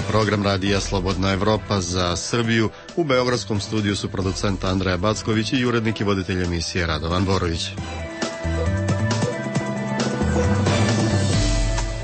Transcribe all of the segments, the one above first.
je program radija Slobodna Evropa za Srbiju. U beogradskom studiju su producent Andreja Backović i urednik i voditelj emisije Radovan Borović.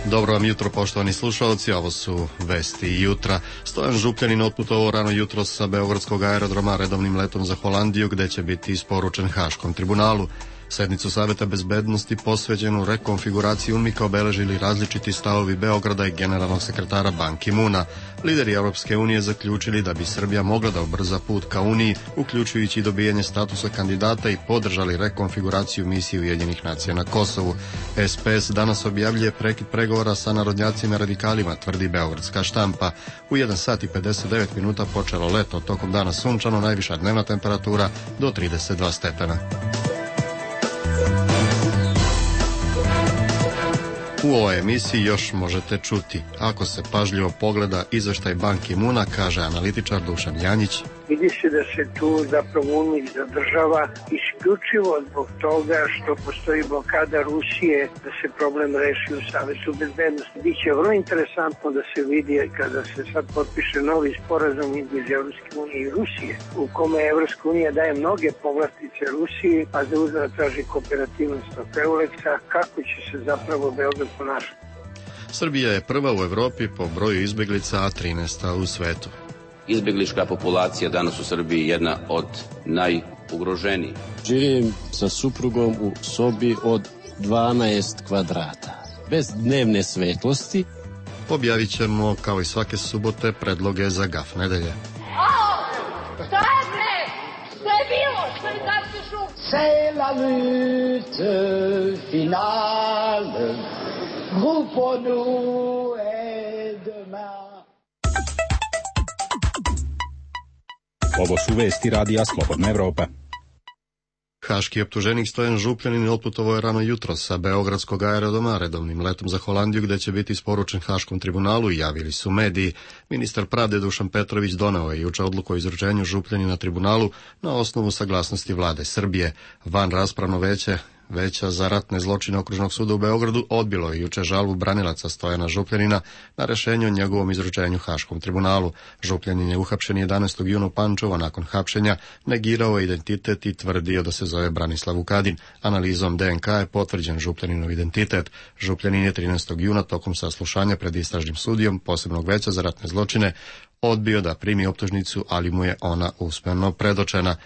Dobro vam jutro, poštovani slušalci, ovo su vesti jutra. Stojan Župljanin otputovao rano jutro sa beogradskog aerodroma redovnim letom za Holandiju, gde će biti isporučen Haškom tribunalu. Sednicu Saveta bezbednosti posveđenu rekonfiguraciji UNMIK obeležili različiti stavovi Beograda i generalnog sekretara Ban Ki-moona. Lideri Europske unije zaključili da bi Srbija mogla da ubrza put ka Uniji, uključujući dobijanje statusa kandidata, i podržali rekonfiguraciju misije Ujedinjenih nacija na Kosovu. SPS danas objavljuje prekid pregovora sa narodnjacima i radikalima, tvrdi beogradska štampa. U 1 sat i 59 minuta počelo leto, tokom dana sunčano, najviša dnevna temperatura do 32 stepena. U ovoj emisiji još možete čuti: ako se pažljivo pogleda izveštaj Ban Ki-moona, kaže analitičar Dušan Janjić. Vidi se da se tu zapravo UNMIK zadržava isključivo zbog toga što postoji blokada Rusije da se problem reši u Savetu bezbednosti. Biće vrlo interesantno da se vidi kada se sad potpiše novi sporazum između Evropske unije i Rusije, u kome Evropska unija daje mnoge povlastice Rusiji, a za uzvrat traži kooperativnost od EULEX-a, kako će se zapravo Beograd ponašati. Srbija je prva u Evropi po broju izbeglica, a 13. u svetu. Izbeglička populacija danas u Srbiji je jedna od najugroženijih. Živim sa suprugom u sobi od 12 kvadrata, bez dnevne svetlosti. Objavit ćemo, kao i svake subote, predloge za gaf nedelje. Šta je bre? Šta je bilo? Šta je tako šum? C'est la lutte finale, groupe nous et demain. Ovo su vesti radija Slobodna Evropa. Haški optuženik Stojan Župljanin otputovao je rano jutro sa beogradskog aerodroma redovnim letom za Holandiju, gde će biti isporučen Haškom tribunalu, i javili su mediji. Ministar pravde Dušan Petrović doneo je juče odluku o izručenju Župljanina tribunalu na osnovu saglasnosti vlade Srbije. Vanraspravno Veća za ratne zločine Okružnog suda u Beogradu odbilo je juče žalbu branilaca Stojana Župljanina na rešenje o njegovom izručenju Haškom tribunalu. Župljanin je uhapšen 11. juna u Pančevu, a nakon hapšenja negirao identitet i tvrdio da se zove Branislav Vukadin. Analizom DNK je potvrđen Župljaninov identitet. Župljanin je 13. juna tokom saslušanja pred istražnim sudijom Posebnog veća za ratne zločine odbio da primi optužnicu, ali mu je ona usmeno predočena.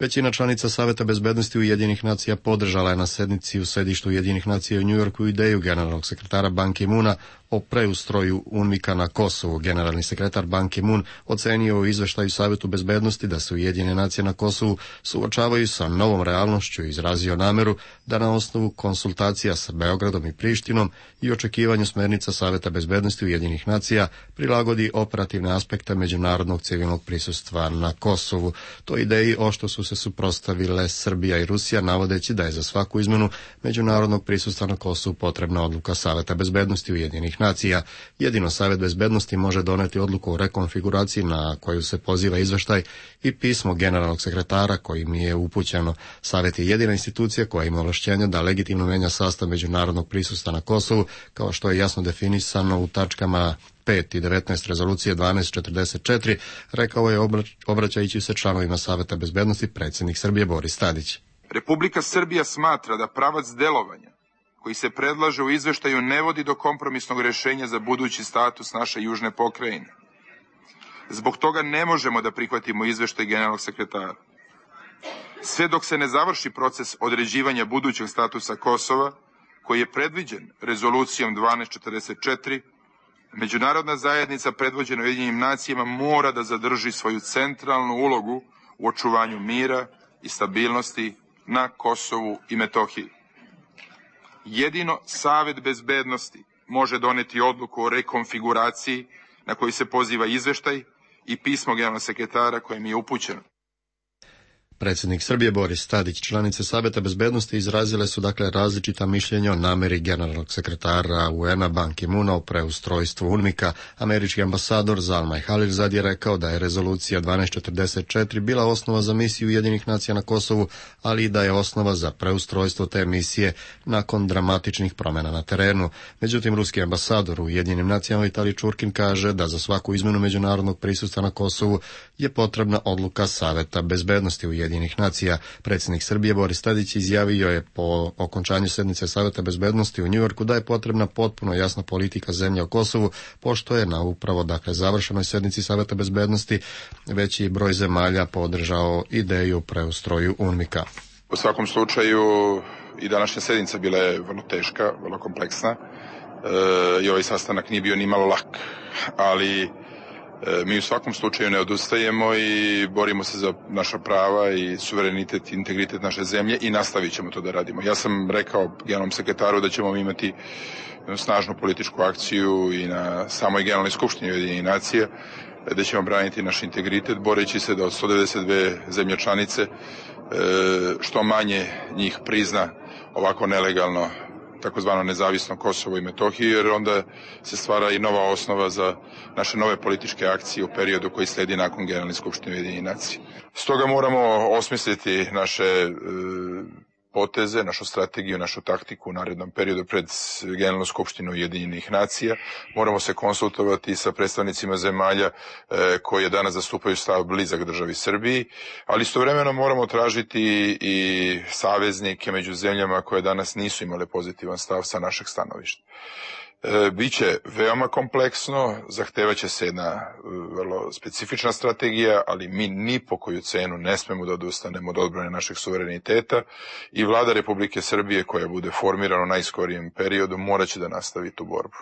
Većina članica Saveta bezbednosti Ujedinjenih nacija podržala je na sednici u sedištu Ujedinjenih nacija u Njujorku ideju generalnog sekretara Ban Ki-moona o preustroju UNMIK-a na Kosovu. Generalni sekretar Ban Ki-moon ocenio u izveštaju Savetu bezbednosti da se Ujedinjene nacije na Kosovu suočavaju sa novom realnošću i izrazio nameru da na osnovu konsultacija sa Beogradom i Prištinom i očekivanju smernica Saveta bezbednosti Ujedinjenih nacija prilagodi operativne aspekte međunarodnog civilnog prisustva na Kosovu. To ideji ošto su se suprotstavile Srbija i Rusija, navodeći da je za svaku izmenu međunarodnog prisustva na Kosovu potrebna odluka Saveta bezbednosti Ujedinjenih nacija. Jedino Savet bezbednosti može doneti odluku o rekonfiguraciji na koju se poziva izveštaj i pismo generalnog sekretara kojim je upućeno. Savet je jedina institucija koja ima ovlašćenja da legitimno menja sastav međunarodnog prisustva na Kosovu, kao što je jasno definisano u tačkama 5 i 19 rezolucije 1244, rekao je obraćajući se članovima Saveta bezbednosti predsjednik Srbije Boris Tadić. Republika Srbija smatra da pravac delovanja koji se predlaže u izveštaju ne vodi do kompromisnog rešenja za budući status naše južne pokrajine. Zbog toga ne možemo da prihvatimo izveštaj generalnog sekretara. Sve dok se ne završi proces određivanja budućeg statusa Kosova, koji je predviđen rezolucijom 1244, međunarodna zajednica predvođena Ujedinjenim nacijama mora da zadrži svoju centralnu ulogu u očuvanju mira i stabilnosti na Kosovu i Metohiji. Jedino Savet bezbednosti može doneti odluku o rekonfiguraciji na koju se poziva izveštaj i pismo generalnog sekretara kojem je upućeno. Predsjednik Srbije Boris Tadić, članice Saveta bezbednosti izrazile su različita mišljenja o nameri generalnog sekretara UN-a Ban Ki-moona o preustrojstvu UNMIK-a. Američki ambasador Zalmay Khalilzad je rekao da je rezolucija 1244 bila osnova za misiju Ujedinjenih nacija na Kosovu, ali i da je osnova za preustrojstvo te misije nakon dramatičnih promjena na terenu. Međutim, ruski ambasador u Ujedinjenim nacijama Vitalij Čurkin kaže da za svaku izmenu međunarodnog prisustva na Kosovu je potrebna odluka Saveta bezbednosti Ujedinjenih nacija. Predsjednik Srbije Boris Tadić izjavio je po okončanju sednice Saveta bezbednosti u Njujorku da je potrebna potpuno jasna politika zemlje o Kosovu, pošto je na upravo završenoj sednici Saveta bezbednosti veći broj zemalja podržao ideju preustroju UNMIK-a. U svakom slučaju i današnja sednica bila je vrlo teška, vrlo kompleksna i ovaj sastanak nije bio ni malo lak, ali mi u svakom slučaju ne odustajemo i borimo se za naša prava i suverenitet i integritet naše zemlje i nastavit ćemo to da radimo. Ja sam rekao generalnom sekretaru da ćemo imati snažnu političku akciju i na samoj generalnoj skupštini Ujedinjenih nacija, da ćemo braniti naš integritet, boreći se da od 192 zemlje članice što manje njih prizna ovako nelegalno takozvano nezavisno Kosovo i Metohiju, jer onda se stvara i nova osnova za naše nove političke akcije u periodu koji sledi nakon Generalne skupštine Ujedinjenih nacija. Stoga moramo osmisliti naše poteze, našu strategiju, našu taktiku u narednom periodu pred Generalnu skupštinu Ujedinjenih nacija. Moramo se konsultovati sa predstavnicima zemalja koje danas zastupaju stav blizak državi Srbiji, ali istovremeno moramo tražiti i saveznike među zemljama koje danas nisu imale pozitivan stav sa našeg stanovišta. Biće veoma kompleksno, zahtevaće se jedna vrlo specifična strategija, ali mi ni po koju cenu ne smemo da odustanemo od odbrane našeg suvereniteta i vlada Republike Srbije koja bude formirana u najskorijem periodu moraće da nastavi tu borbu.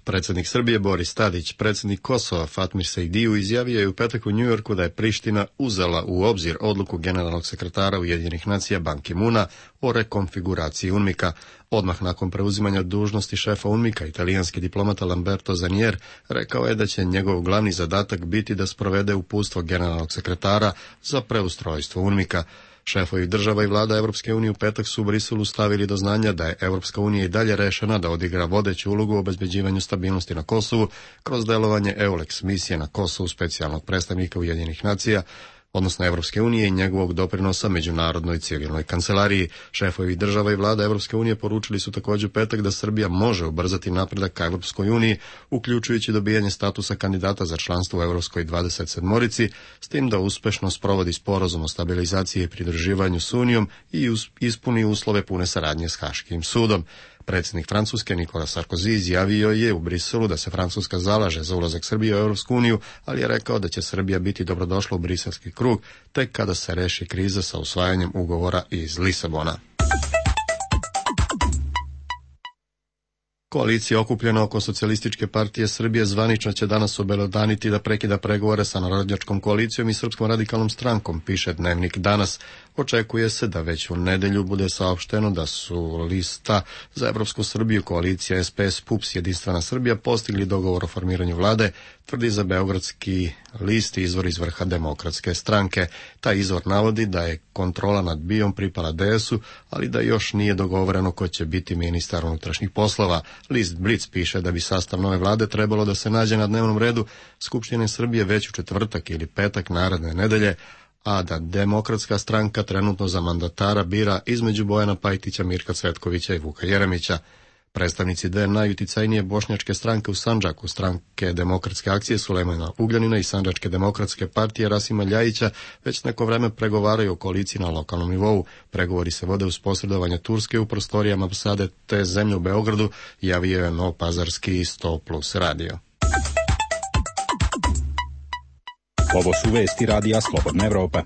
Predsjednik Srbije Boris Tadić, predsjednik Kosova Fatmir Sejdiu izjavio je u petak u Njujorku da je Priština uzela u obzir odluku generalnog sekretara Ujedinjenih nacija Ban Ki-moona o rekonfiguraciji UNMIK-a. Odmah nakon preuzimanja dužnosti šefa UNMIK-a, italijanski diplomata Lamberto Zanier rekao je da će njegov glavni zadatak biti da sprovede uputstvo generalnog sekretara za preustrojstvo UNMIK-a. Šefovi država i vlada Evropske unije u petak su u Briselu stavili do znanja da je Evropska unija i dalje rešena da odigra vodeću ulogu u obezbeđivanju stabilnosti na Kosovu kroz delovanje EULEX misije na Kosovu specijalnog predstavnika Ujedinjenih nacija, odnosno Evropske unije i njegovog doprinosa međunarodnoj civilnoj kancelariji. Šefovi država i vlada Evropske unije poručili su također petak da Srbija može ubrzati napredak ka Evropskoj uniji, uključujući dobijanje statusa kandidata za članstvo u Evropskoj 27-orici, s tim da uspešno sprovodi sporazum o stabilizaciji i pridruživanju s Unijom i ispuni uslove pune saradnje s Haškim sudom. Predsjednik Francuske Nicolas Sarkozy izjavio je u Briselu da se Francuska zalaže za ulazak Srbije u Europsku uniju, ali je rekao da će Srbija biti dobrodošla u briselski krug tek kada se reši kriza sa usvajanjem ugovora iz Lisabona. Koalicija okupljena oko Socijalističke partije Srbije zvanično će danas obelodaniti da prekida pregovore sa Narodnjačkom koalicijom i Srpskom radikalnom strankom, piše Dnevnik danas. Očekuje se da već u nedelju bude saopšteno da su lista za Evropsku Srbiju, koalicija SPS, PUPS, Jedinstvena Srbija postigli dogovor o formiranju vlade, tvrdi za beogradski list izvor iz vrha Demokratske stranke. Taj izvor navodi da je kontrola nad BIA-om pripala DS-u, ali da još nije dogovoreno ko će biti ministar unutrašnjih poslova. List Blic piše da bi sastav nove vlade trebalo da se nađe na dnevnom redu Skupštine Srbije već u četvrtak ili petak naredne nedelje, a da Demokratska stranka trenutno za mandatara bira između Bojana Pajtića, Mirka Cvetkovića i Vuka Jeremića. Predstavnici dve najuticajnije bošnjačke stranke u Sandžaku, Stranke demokratske akcije Sulejmana Ugljanina i Sandžačke demokratske partije Rasima Ljajića, već neko vreme pregovaraju o koaliciji na lokalnom nivou. Pregovori se vode uz posredovanje Turske u prostorijama ambasade te zemlje u Beogradu, javio je novopazarski 100+ radio. Ovo su vesti radija Slobodna Evropa.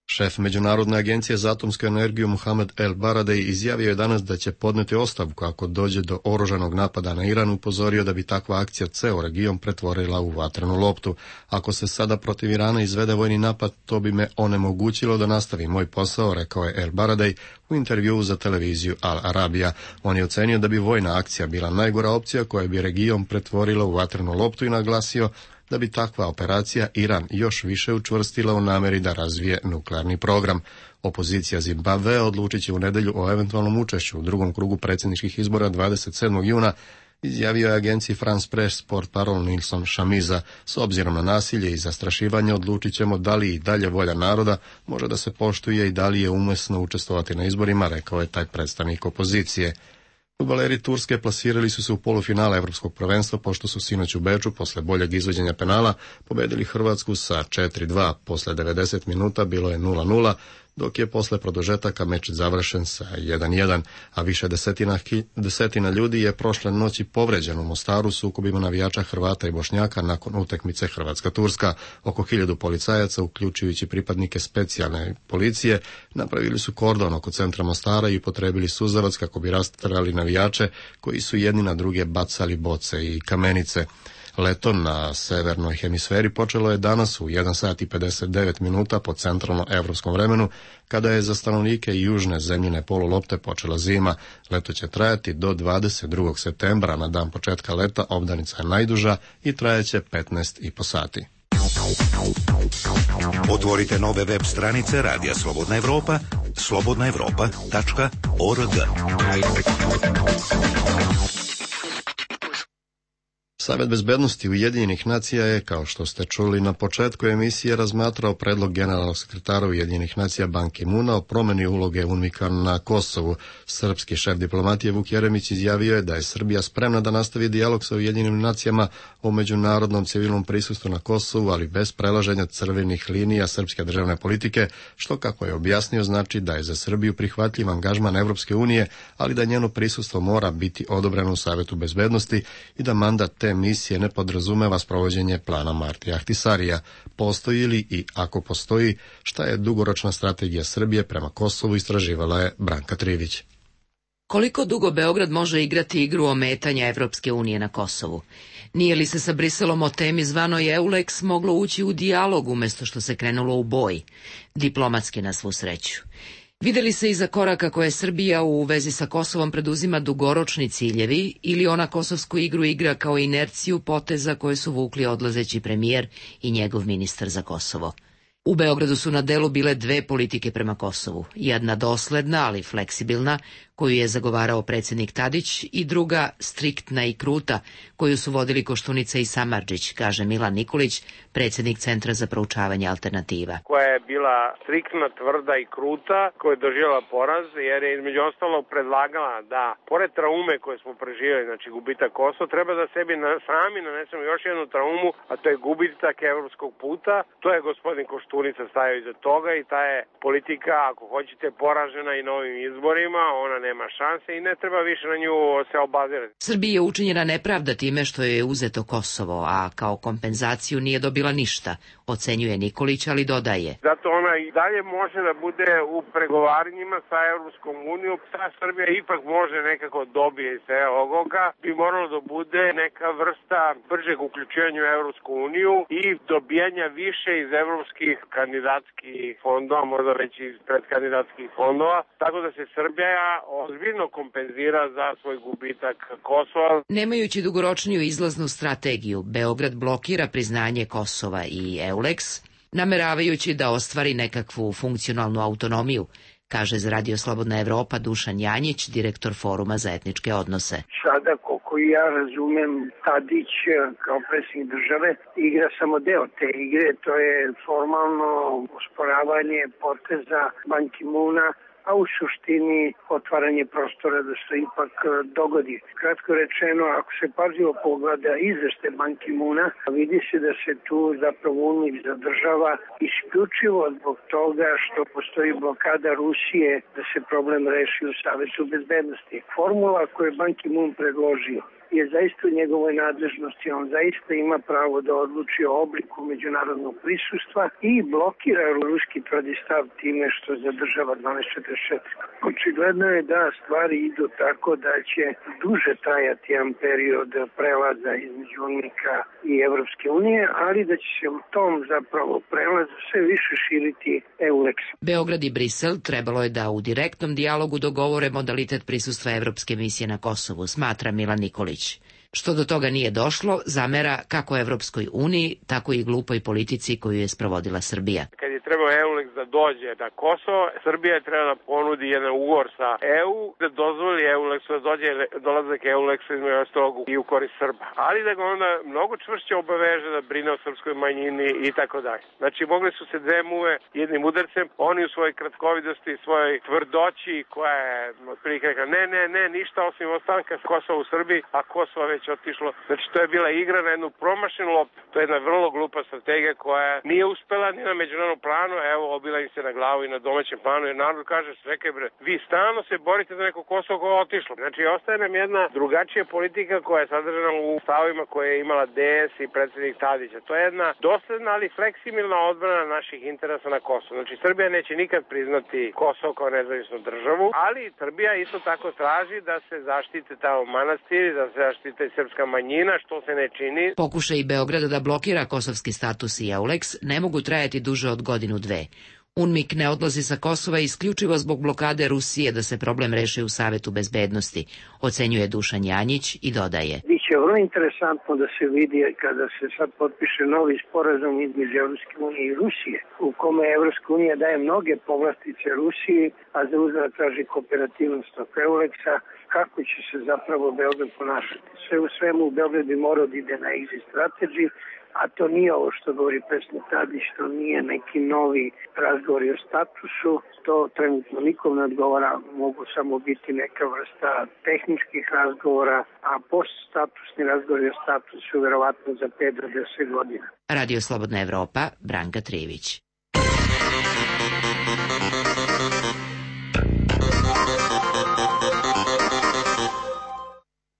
Šef Međunarodne agencije za atomsku energiju Mohamed El Baradei izjavio je danas da će podneti ostavku ako dođe do oružanog napada na Iran, upozorio da bi takva akcija ceo region pretvorila u vatrenu loptu. Ako se sada protiv Irana izvede vojni napad, to bi me onemogućilo da nastavi moj posao, rekao je El Baradei u intervjuu za televiziju Al Arabija. On je ocenio da bi vojna akcija bila najgora opcija koja bi region pretvorila u vatrenu loptu i naglasio da bi takva operacija Iran još više učvrstila u nameri da razvije nuklearni program. Opozicija Zimbabvea odlučit će u nedjelju o eventualnom učešću u drugom krugu predsjedničkih izbora 27. juna, izjavio je agenciji France Press portparol Nilson Shamiza. S obzirom na nasilje i zastrašivanje odlučit ćemo da li i dalje volja naroda može da se poštuje i da li je umjesno učestvovati na izborima, rekao je taj predstavnik opozicije. Fudbaleri Turske plasirali su se u polufinale Evropskog prvenstva pošto su sinoć u Beču posle boljeg izvođenja penala pobedili Hrvatsku sa 4-2. Posle 90 minuta bilo je 0-0, dok je posle produžetaka meč završen sa 1-1, a više desetina ljudi je prošle noći povređeno u Mostaru sukobima navijača Hrvata i Bošnjaka nakon utakmice Hrvatska-Turska. Oko 1000 policajaca, uključujući pripadnike specijalne policije, napravili su kordon oko centra Mostara i upotrebili suzavac kako bi rasterali navijače koji su jedni na druge bacali boce i kamenice. Leto na severnoj hemisferi počelo je danas u 1 sat i 59 minuta po centralno-evropskom vremenu, kada je za stanovnike južne zemljine polulopte počela zima. Leto će trajati do 22. septembra, na dan početka leta obdanica je najduža i trajeće 15,5 sati. Otvorite nove web stranice Radija Slobodna Evropa, slobodnaevropa.org. Savet bezbednosti Ujedinjenih nacija je, kao što ste čuli na početku emisije, razmatrao predlog generalnog sekretara Ujedinjenih nacija Ban Ki-moona o promjeni uloge UNMIK-a na Kosovu. Srpski šef diplomatije Vuk Jeremić izjavio je da je Srbija spremna da nastavi dijalog sa Ujedinjenim nacijama o međunarodnom civilnom prisustvu na Kosovu, ali bez prelaženja crvenih linija srpske državne politike, što, kako je objasnio, znači da je za Srbiju prihvatljiv angažman Evropske unije, ali da njeno prisustvo mora biti odobreno u Savetu bezbednosti i da mandat te misije ne podrazumeva sprovođenje plana Martija Ahtisarija. Postoji li i ako postoji, šta je dugoročna strategija Srbije prema Kosovu, istraživala je Branka Trivić. Koliko dugo Beograd može igrati igru ometanja Evropske unije na Kosovu? Nije li se sa Briselom o temi zvanoj EULEX moglo ući u dijalog umjesto što se krenulo u boj? Diplomatski, na svu sreću. Videli se iza koraka koje Srbija u vezi sa Kosovom preduzima dugoročni ciljevi ili ona kosovsku igru igra kao inerciju poteza koje su vukli odlazeći premijer i njegov ministar za Kosovo? U Beogradu su na delu bile dve politike prema Kosovu, jedna dosledna, ali fleksibilna, koju je zagovarao predsjednik Tadić, i druga striktna i kruta, koju su vodili Koštunica i Samardžić, kaže Milan Nikolić, predsjednik Centra za proučavanje alternativa. Koja je bila striktna, tvrda i kruta, koja je doživjela poraz, jer je između ostalog predlagala da, pored traume koje smo preživjeli, znači gubitak Kosova, treba da sebi sami nanesemo još jednu traumu, a to je gubitak evropskog puta. To je gospodin Koštunica stavio iza toga i ta je politika, ako hoćete, poražena i novim izborima, ona nema šanse i ne treba više na nju se obazirati. Srbiji je učinjena nepravda time što je uzeto Kosovo, a kao kompenzaciju nije dobila ništa, ocenjuje Nikolić, ali dodaje. Zato ona i dalje može da bude u pregovaranjima sa Evropskom unijom. Ta Srbija ipak može nekako dobije iz ovoga. Bi moralo da bude neka vrsta bržeg uključivanja u Evropsku uniju i dobijanja više iz evropskih kandidatskih fondova, možda već iz predkandidatskih fondova, tako da se Srbija ozbiljno kompenzira za svoj gubitak Kosova. Nemajući dugoročniju izlaznu strategiju, Beograd blokira priznanje Kosova i EULEX, nameravajući da ostvari nekakvu funkcionalnu autonomiju, kaže za Radio Slobodna Evropa Dušan Janjić, direktor Foruma za etničke odnose. Sada, koliko ja razumem, Tadić kao predsjednik države igra samo deo te igre, to je formalno osporavanje poteza Ban Ki-moona, a u suštini otvaranje prostora da se ipak dogodi. Kratko rečeno, ako se pažljivo pogleda izveštaj Ban Ki-moona, vidi se da se tu zapravo UNMIK zadržava isključivo zbog toga što postoji blokada Rusije da se problem reši u Savetu bezbednosti. Formula koju je Ban Ki-moon predložio je zaista u njegovoj nadležnosti, on zaista ima pravo da odluči o obliku međunarodnog prisustva i blokira ruski tvrdi stav time što zadržava 1244. Očigledno je da stvari idu tako da će duže trajati jedan period prelaza između UNMIK-a i Evropske unije, ali da će se u tom zapravo prelazu sve više širiti EULEX. Beograd i Brisel trebalo je da u direktnom dijalogu dogovore modalitet prisustva Evropske misije na Kosovu, smatra Milan Nikolić. Što do toga nije došlo, zamera kako Evropskoj uniji, tako i glupoj politici koju je sprovodila Srbija. Kad je trebao EULEX da dođe na Kosovo, Srbija je trebala da ponudi jedan ugovor sa EU, da dozvoli EULEX-u da dođe dolazak EULEX-a između ostalog i u korist Srba. Ali da ga onda mnogo čvršće obaveže da brine o srpskoj manjini i tako dalje. Znači, mogli su se dve muve jednim udarcem, oni u svojoj kratkovidosti, svojoj tvrdoći koja je otprilike rekla ne, ništa osim ostanka Kosova u Srbiji, a Kosovo već otišlo. Znači, to je bila igra na jednu promašenu loptu. To je jedna vrlo glupa strategija koja nije uspela ni na međunarodnom planu, evo, obila im se na glavu i na domaćem planu, jer narod kaže, čekaj bre, vi stalno se borite za neko Kosovo koje je otišlo. Znači, ostaje nam jedna drugačija politika koja je sadržana u stavima koje je imala DS i predsjednik Tadića. To je jedna dosledna, ali fleksibilna odbrana naših interesa na Kosovo. Znači, Srbija neće nikad priznati Kosovo kao nezavisnu državu, ali Srbija isto tako traži da se zaštite tamo manastiri, da se zaštite srpska manjina, što se ne čini. Pokušaj Beograda da blokira kosovski status i EULEX ne mogu trajati duže od godinu dve. UNMIK ne odlazi sa Kosova isključivo zbog blokade Rusije da se problem reši u Savetu bezbednosti, ocenjuje Dušan Janjić i dodaje. Biće vrlo interesantno da se vidi kada se sad potpiše novi sporazum između Evropske unije i Rusije, u kome Evropska unija daje mnoge povlastice Rusiji, a za uzvrat traži kooperativnost od EULEX-a, kako će se zapravo Beograd ponašati. Sve u svemu Beograd bi morao da ide na exit strategy, a to nije ovo što govori predsjednik Tadić, to nije neki novi razgovori o statusu, to trenutno nikom ne odgovara, mogu samo biti neka vrsta tehničkih razgovora, a poststatusni razgovori o statusu verovatno za 5 do 10 godina. Radio Slobodna Evropa, Branka Trivić.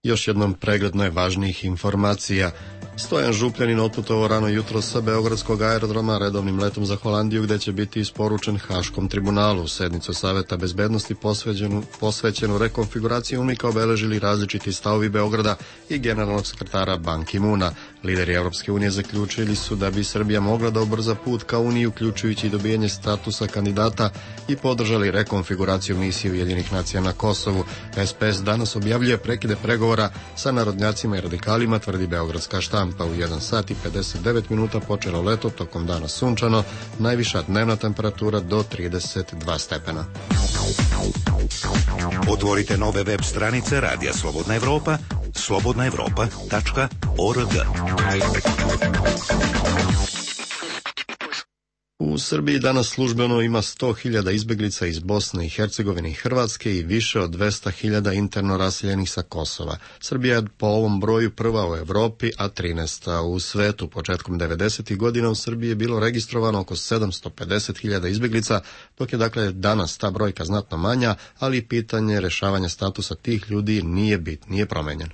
Još jednom pregled najvažnijih informacija. Stojan Župljanin otputovao rano jutro sa beogradskog aerodroma redovnim letom za Holandiju, gde će biti isporučen Haškom tribunalu. Sednicu Saveta bezbednosti posvećenu rekonfiguraciji UNMIK-a obeležili različiti stavovi Beograda i generalnog sekretara Ban Ki-moona. Lideri Evropske unije zaključili su da bi Srbija mogla da ubrza put ka Uniji, uključujući i dobijanje statusa kandidata, i podržali rekonfiguraciju misije Ujedinjenih nacija na Kosovu. SPS danas objavljuje prekide pregovora sa narodnjacima i radikalima, tvrdi beogradska štampa. U 1 sat i 59 minuta počelo leto, tokom dana sunčano, najviša dnevna temperatura do 32 stepena. Otvorite nove web stranice Radija Slobodna Evropa, slobodnaevropa.org. U Srbiji danas službeno ima 100.000 izbeglica iz Bosne i Hercegovine i Hrvatske i više od 200.000 interno raseljenih sa Kosova. Srbija je po ovom broju prva u Evropi, a 13. u svetu. Početkom 90. godina u Srbiji je bilo registrovano oko 750.000 izbeglica, dok je dakle danas ta brojka znatno manja, ali pitanje rešavanja statusa tih ljudi nije promenjen.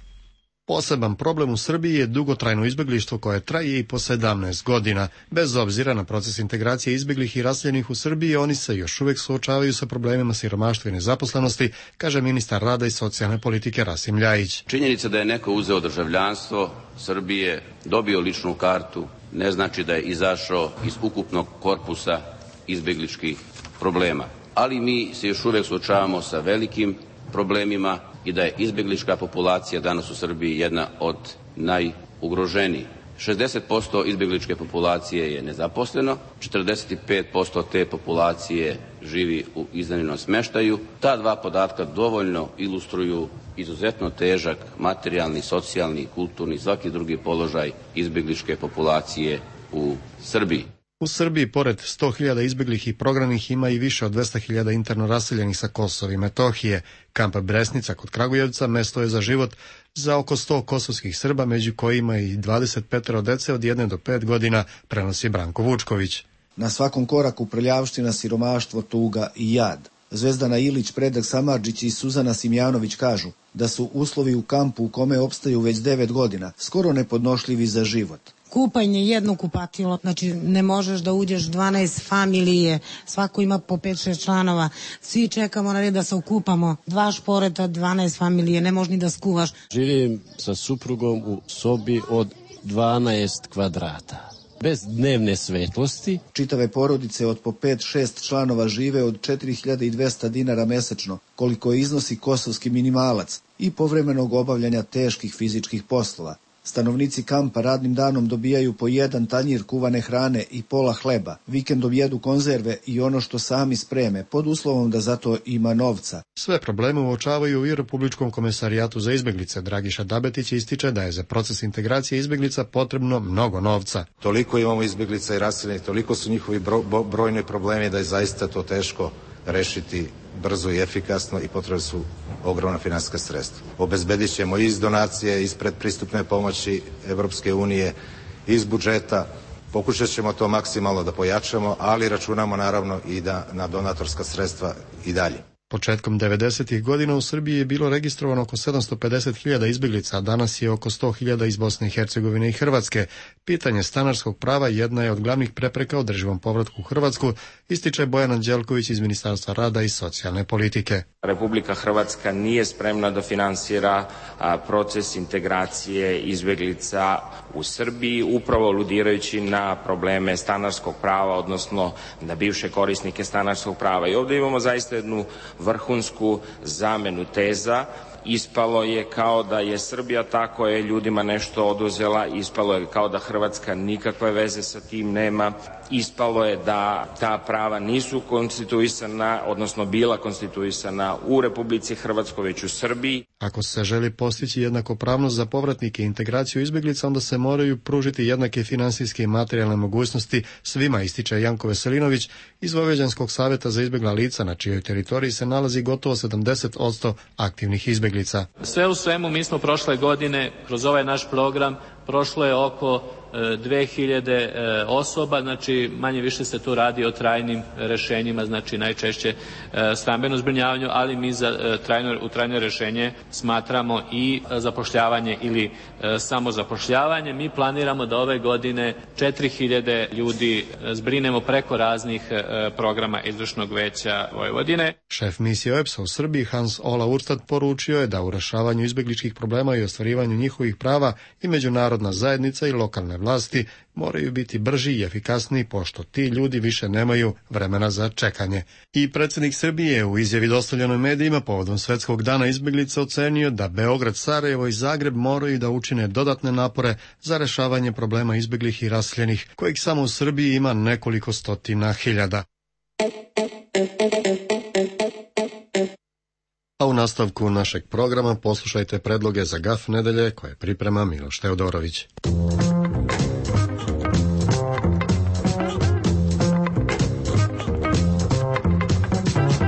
Poseban problem u Srbiji je dugotrajno izbeglištvo koje traje i po 17 godina. Bez obzira na proces integracije izbeglih i raseljenih u Srbiji, oni se još uvijek suočavaju sa problemima siromaštva i nezaposlenosti, kaže ministar rada i socijalne politike Rasim Ljajić. Činjenica da je neko uzeo državljanstvo Srbije, dobio ličnu kartu, ne znači da je izašao iz ukupnog korpusa izbegličkih problema. Ali mi se još uvijek suočavamo sa velikim problemima i da je izbeglička populacija danas u Srbiji jedna od najugroženijih. 60% izbegličke populacije je nezaposleno, 45% te populacije živi u iznajmljenom smeštaju. Ta dva podatka dovoljno ilustruju izuzetno težak materijalni, socijalni, kulturni i svaki drugi položaj izbegličke populacije u Srbiji. U Srbiji, pored 100.000 izbeglih i prognanih, ima i više od 200.000 interno raseljenih sa Kosova i Metohije. Kamp Bresnica kod Kragujevca mesto je za život za oko 100 kosovskih Srba, među kojima i 25 dece od 1 do 5 godina, prenosi Branko Vučković. Na svakom koraku prljavština, siromaštvo, tuga i jad. Zvezdana Ilić, Predrag Samardžić i Suzana Simjanović kažu da su uslovi u kampu u kome opstaju već 9 godina skoro nepodnošljivi za život. Kupanje, jedno kupatilo, znači ne možeš da uđeš 12 familije, svako ima po 5-6 članova, svi čekamo na red da se okupamo, 2 šporeta, 12 familije, ne možeš ni da skuvaš. Živim sa suprugom u sobi od 12 kvadrata. Bez dnevne svetlosti. Čitave porodice od po 5-6 članova žive od 4200 dinara mesečno, koliko iznosi kosovski minimalac, i povremenog obavljanja teških fizičkih poslova. Stanovnici kampa radnim danom dobijaju po jedan tanjir kuvane hrane i pola hleba, vikendom jedu konzerve i ono što sami spreme, pod uslovom da za to ima novca. Sve probleme uočavaju i u Republičkom komesarijatu za izbeglice. Dragiša Dabetić ističe da je za proces integracije izbeglica potrebno mnogo novca. Toliko imamo izbeglica i raseljenih, toliko su njihovi brojni problemi da je zaista to teško rešiti brzo i efikasno i potrebne su ogromna finansijska sredstva. Obezbedit ćemo iz donacije, iz predpristupne pomoći Evropske unije, iz budžeta. Pokušat ćemo to maksimalno da pojačamo, ali računamo naravno i da na donatorska sredstva i dalje. Početkom 90. godina u Srbiji je bilo registrovano oko 750.000 izbeglica, a danas je oko 100.000 iz Bosne i Hercegovine i Hrvatske. Pitanje stanarskog prava jedna je od glavnih prepreka održivom povratku u Hrvatsku, ističe Bojan Anđelković iz Ministarstva rada i socijalne politike. Republika Hrvatska nije spremna da finansira proces integracije izbeglica u Srbiji, upravo aludirajući na probleme stanarskog prava, odnosno na bivše korisnike stanarskog prava. I ovdje imamo zaista jednu vrhunsku zamenu teza. Ispalo je kao da je Srbija ta koja je ljudima nešto oduzela, ispalo je kao da Hrvatska nikakve veze sa tim nema, ispalo je da ta prava nisu konstituisana, odnosno bila konstituisana u Republici Hrvatskoj, već u Srbiji. Ako se želi postići jednakopravnost za povratnike i integraciju izbeglica, onda se moraju pružiti jednake finansijske i materijalne mogućnosti svima, ističe Janko Veselinović iz Vojvođanskog saveta za izbegla lica, na čijoj teritoriji se nalazi gotovo 70% aktivnih izbeglica. Sve u svemu, mi smo prošle godine kroz ovaj naš program prošlo je oko 2000 osoba, znači manje više se tu radi o trajnim rešenjima, znači najčešće stambeno zbrinjavanju, ali mi za trajno rešenje smatramo i zapošljavanje ili samozapošljavanje. Mi planiramo da ove godine 4000 ljudi zbrinemo preko raznih programa Izvršnog veća Vojvodine. Šef misije OEBS-a u Srbiji Hans Ola Urstad poručio je da u rešavanju izbegličkih problema i ostvarivanju njihovih prava i međunarodna zajednica i lokalne vlasti moraju biti brži i efikasniji, pošto ti ljudi više nemaju vremena za čekanje. I predsjednik Srbije u izjavi dostavljenoj medijima povodom Svetskog dana izbeglica ocenio da Beograd, Sarajevo i Zagreb moraju da učine dodatne napore za rešavanje problema izbeglih i raseljenih, kojih samo u Srbiji ima nekoliko stotina hiljada. A u nastavku našeg programa poslušajte predloge za GAF nedelje koje priprema Miloš Teodorović.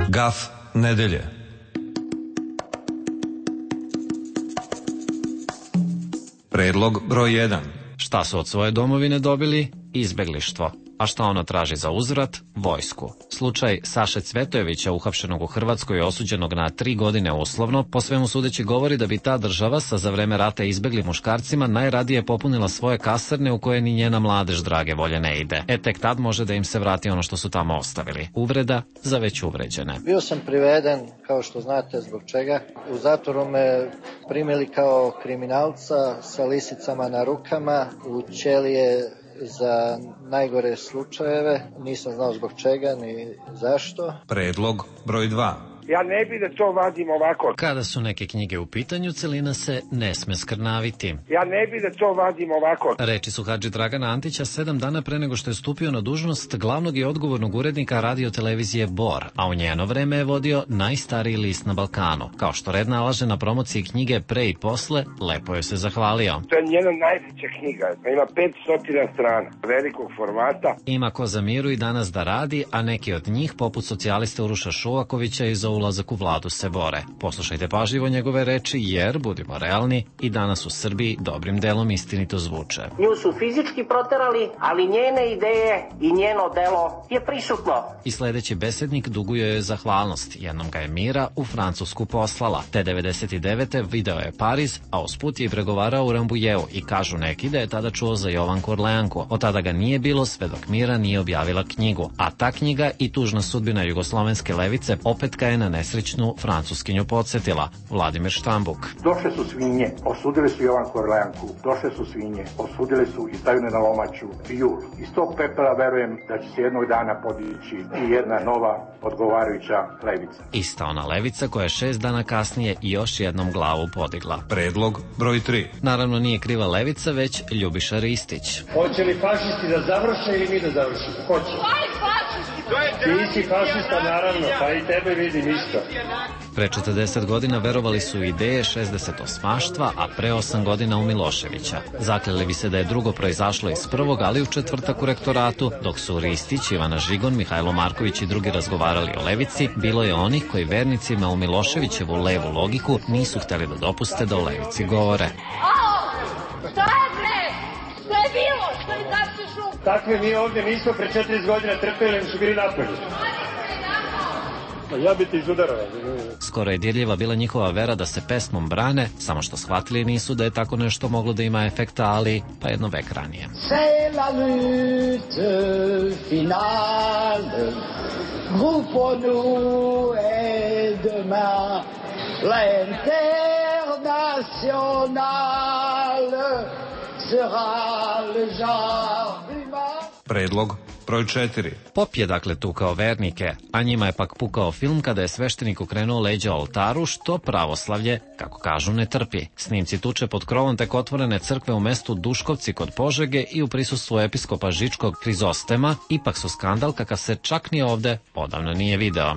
GAF nedelje. Predlog broj 1. Šta su od svoje domovine dobili? Izbeglištvo. A šta ona traži za uzvrat? Vojsku. Slučaj Saše Cvetojevića, uhapšenog u Hrvatskoj i osuđenog na 3 godine uslovno, po svemu sudeći govori da bi ta država sa za vreme rata izbeglim muškarcima najradije popunila svoje kasarne u koje ni njena mladež drage volje ne ide. Tek tad može da im se vrati ono što su tamo ostavili. Uvreda za već uvređene. Bio sam priveden, kao što znate zbog čega. U zatvoru me primili kao kriminalca sa lisicama na rukama, u ćelije za najgore slučajeve, nisam znao zbog čega ni zašto. Predlog broj 2. Ja ne bi da to vadim ovako. Kada su neke knjige u pitanju, celina se ne sme skrnaviti. Ja ne bi da to vadim ovako. Reči su Hadži Dragana Antića 7 dana pre nego što je stupio na dužnost glavnog i odgovornog urednika radio-televizije Bor, a u njeno vreme je vodio najstariji list na Balkanu. Kao što red nalaže na promociji knjige Pre i posle, lepo je se zahvalio. To je njena najveća knjiga, ima 500 strana, velikog formata. Ima ko za miru i danas da radi, a neki od njih, poput socijaliste Uroša Šuvakovića i za ulazak u vladu se bore. Poslušajte pažljivo njegove reči, jer, budimo realni, i danas u Srbiji dobrim delom istinito zvuče. Nju su fizički proterali, ali njene ideje i njeno delo je prisutno. I sledeći besednik duguje joj zahvalnost. Jednom ga je Mira u Francusku poslala. Te 99. video je Pariz, a usput je pregovarao u Rambujevu i kažu neki da je tada čuo za Jovanku Orleanku. Od tada ga nije bilo sve dok Mira nije objavila knjigu. A ta knjiga i tužna sudbina jugoslovenske levice opet ga je na nesrećnu Francuskinju podsjetila Vladimir Štambuk. Došle su svinje, osudili su Jovanku Orleanku, došle su svinje, osudili su i stavljene na lomaču i jul. Iz tog pepela verujem da će se jednog dana podići i jedna nova odgovarajuća levica. Ista ona levica koja je 6 dana kasnije još jednom glavu podigla. Predlog broj 3. Naravno nije kriva levica, već Ljubiša Ristić. Hoće li fašisti da završe ili mi da završimo? Hoće. Ti si fašista, naravno, pa i tebe vidim isto. Pre 40 godina verovali su u ideje 68-maštva, a pre 8 godina u Miloševića. Zakleli bi se da je drugo proizašlo iz prvog, ali u četvrtak u rektoratu, dok su Ristić, Ivana Žigon, Mihajlo Marković i drugi razgovarali o levici, bilo je onih koji vernicima u Miloševićevu levu logiku nisu hteli da dopuste da o levici govore. Šta je bre? Šta je bilo? Šta je zapsi šum? Takve mi ovdje nismo pre 40 godina trpeli, mi su bili napolju. Ja bi te izudarao. Skoro je dirljiva bila njihova vera da se pesmom brane, samo što shvatili nisu da je tako nešto moglo da ima efekta, ali pa jedno vek ranije. C'est la lutte finale, groupons-nous et demain l'internationale sera le genre humain. Predlog broj 4. Pop je dakle tukao vernike, a njima je pak pukao film kada je sveštenik okrenuo leđa oltaru, što pravoslavlje, kako kažu, ne trpi. Snimci tuče pod krovom tek otvorene crkve u mestu Duškovci kod Požege i u prisustvu episkopa Žičkog Hrizostema ipak su skandal kakav se čak ni ovde odavno nije video.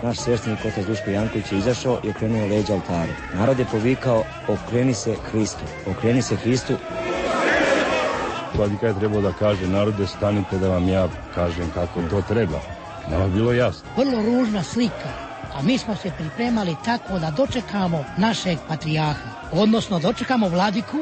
Naš sveštenik otac Duško Janković je izašao i okrenuo leđa oltaru. Narod je povikao, okreni se Hristu, okreni se Hristu. Vladika je trebao da kaže, narode, stanite da vam ja kažem kako to treba. Nama bilo jasno. Vrlo ružna slika, a mi smo se pripremali tako da dočekamo našeg patrijarha, odnosno dočekamo vladiku.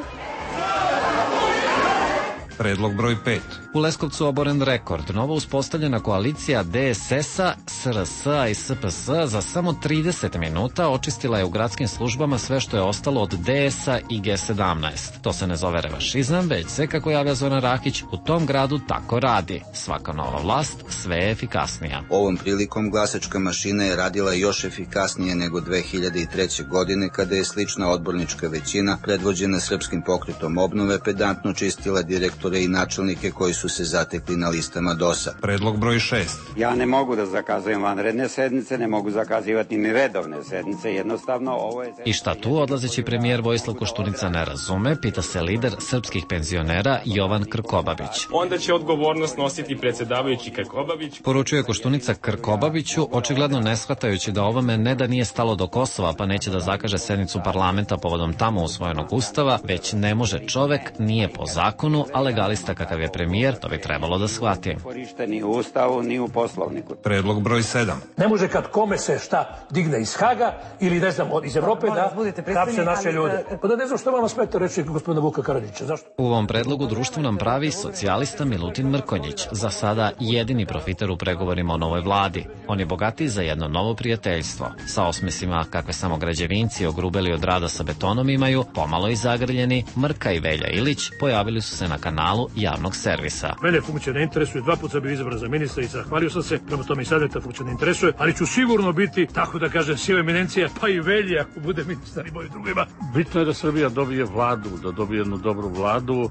Predlog broj 5. U Leskovcu oboren rekord. Novo uspostavljena koalicija DSS-a, SRS-a i SPS za samo 30 minuta očistila je u gradskim službama sve što je ostalo od DS-a i G17. To se ne zove revašizam, već se, kako javlja Zoran Rakić, u tom gradu tako radi. Svaka nova vlast sve je efikasnija. Ovom prilikom glasačka mašina je radila još efikasnije nego 2003. godine, kada je slična odbornička većina, predvođena Srpskim pokretom obnove, pedantno čistila direktore i načelnike koji su se zatekli na listama DOS-a. Predlog broj 6. Ja ne mogu da zakazujem vanredne sednice, ne mogu zakazivati ni redovne sednice, jednostavno ovo je... I šta tu odlazeći premijer Vojislav Koštunica ne razume, pita se lider srpskih penzionera Jovan Krkobabić. Onda će odgovornost nositi predsjedavajući Krkobabić. Poručuje Koštunica Krkobabiću, očigledno ne shvatajući da ovome ne da nije stalo do Kosova, pa neće da zakaže sednicu parlamenta povodom tamo usvojenog ustava, već ne može čovek, nije po zakonu, a legalista kakav je premijer, to bi trebalo da shvati. Korište ni u ustavu, ni u poslovniku. Predlog broj 7. Ne može kad kome se šta digne iz Haga ili ne znam iz Evrope da hapse naše ljude. Pa da ne znam što vama smeta reći gospodina Vuka Karadžića, zašto? U ovom predlogu društvo nam pravi socijalista Milutin Mrkonjić, za sada jedini profiter u pregovorima o novoj vladi. On je bogatiji za jedno novo prijateljstvo. Sa osmesima kakve samo građevinci ogrubeli od rada sa betonom imaju, pomalo i zagrljeni, Mrka i Velja Ilić pojavili su se na kanalu javnog servisa. Mene funkcija ne interesuje, 2 puta sam bio izabran za ministra i zahvalio sam se, prema tome i sad me ta funkcija ne interesuje, ali ću sigurno biti, tako da kažem, siva eminencija, pa i Velja ako bude ministar i moji drugima. Bitno je da Srbija dobije vladu, da dobije jednu dobru vladu.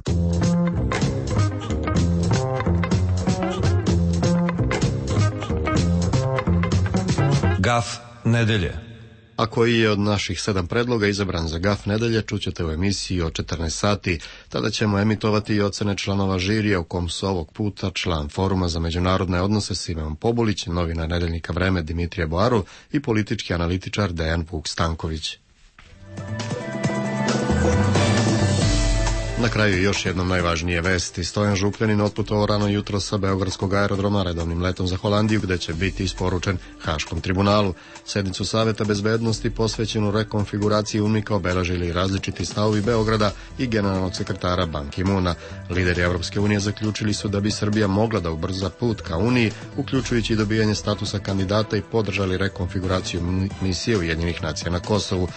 Gaf nedelje. A koji je od naših 7 predloga izabran za Gaf nedelje, čućete u emisiji o 14 sati. Tada ćemo emitovati i ocene članova žirija, u kom su ovog puta član Foruma za međunarodne odnose Simeon Pobulić, novinar nedeljnika Vreme Dimitrije Boaru i politički analitičar Dejan Vuk Stanković. Na kraju još jednom najvažnije vesti. Stojan Župljanin otputovao rano jutro sa beogradskog aerodroma redovnim letom za Holandiju, gde će biti isporučen Haškom tribunalu. Sednicu Saveta bezbednosti posvećenu rekonfiguraciji UNMIK-a obeležili različiti stavovi Beograda i generalnog sekretara Ban Ki-moona. Lideri Evropske unije zaključili su da bi Srbija mogla da ubrza put ka Uniji, uključujući i dobijanje statusa kandidata, i podržali rekonfiguraciju misije Ujedinjenih nacija na Kosovu.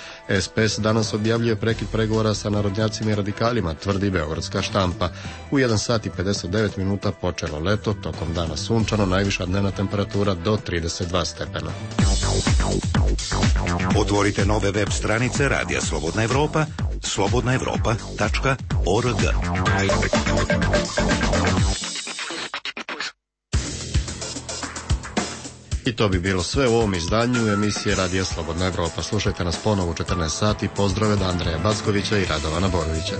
SPS danas objavljuje prekid pregovora sa narodnjacima i radikalima, tvrdi beogradska štampa. U 1 sat i 59 minuta počelo leto, tokom dana sunčano, najviša dnevna temperatura do 32 stepena. Otvorite nove web stranice Radija Slobodna Evropa, slobodnaevropa.org. I to bi bilo sve u ovom izdanju emisije Radija Slobodna Evropa. Slušajte nas ponovo u 14 sati. Pozdrave od Andreja Backovića i Radovana Borovića.